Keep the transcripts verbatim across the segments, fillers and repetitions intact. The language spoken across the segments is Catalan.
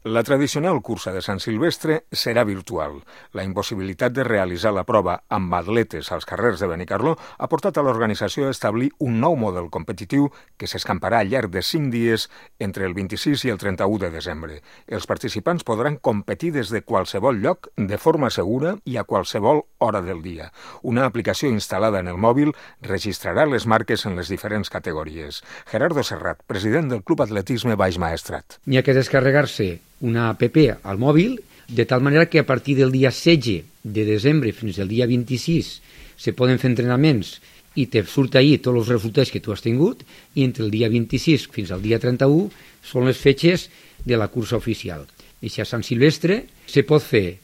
La tradicional cursa de Sant Silvestre serà virtual. La impossibilitat de realitzar la prova amb atletes als carrers de Benicarló ha portat a l'organització a establir un nou model competitiu que s'escamparà al llarg de cinc dies entre el vint-i-sis i el trenta-u de desembre. Els participants podran competir des de qualsevol lloc, de forma segura i a qualsevol hora del dia. Una aplicació instal·lada en el mòbil registrarà les marques en les diferents categories. Gerardo Serrat, president del Club Atletisme Baix Maestrat. N'hi ha que descarregar-se una app al mòbil, de tal manera que a partir del dia setze de desembre fins al dia vint-i-sis se poden fer entrenaments i te surt ahí tots els resultats que tu has tingut, i entre el dia vint-i-sis fins al dia trenta-u són les fetges de la cursa oficial. I si a Sant Silvestre se pot fer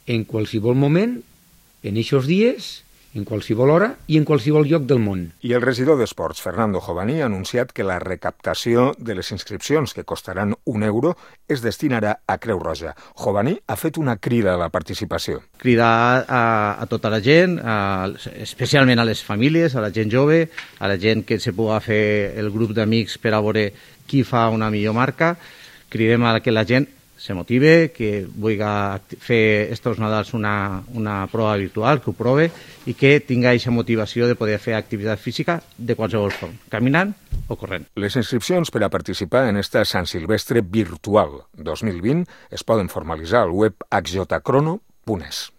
en qualsevol moment, en aquests dies, en qualsevol hora i en qualsevol lloc del món. I el regidor d'Esports, Fernando Jovaní, ha anunciat que la recaptació de les inscripcions, que costaran un euro, es destinarà a Creu Roja. Jovaní ha fet una crida a la participació. Cridar a, a tota la gent, a, especialment a les famílies, a la gent jove, a la gent que se pugui fer el grup d'amics per a veure qui fa una millor marca. Cridem a que la gent se motive, que vulgui fer estos Nadals una, una prova virtual, que ho prove i que tinga aquesta motivació de poder fer activitat física de qualsevol forma, caminant o corrent. Les inscripcions per a participar en esta Sant Silvestre virtual dos mil vint es poden formalitzar al web h j crono punt es.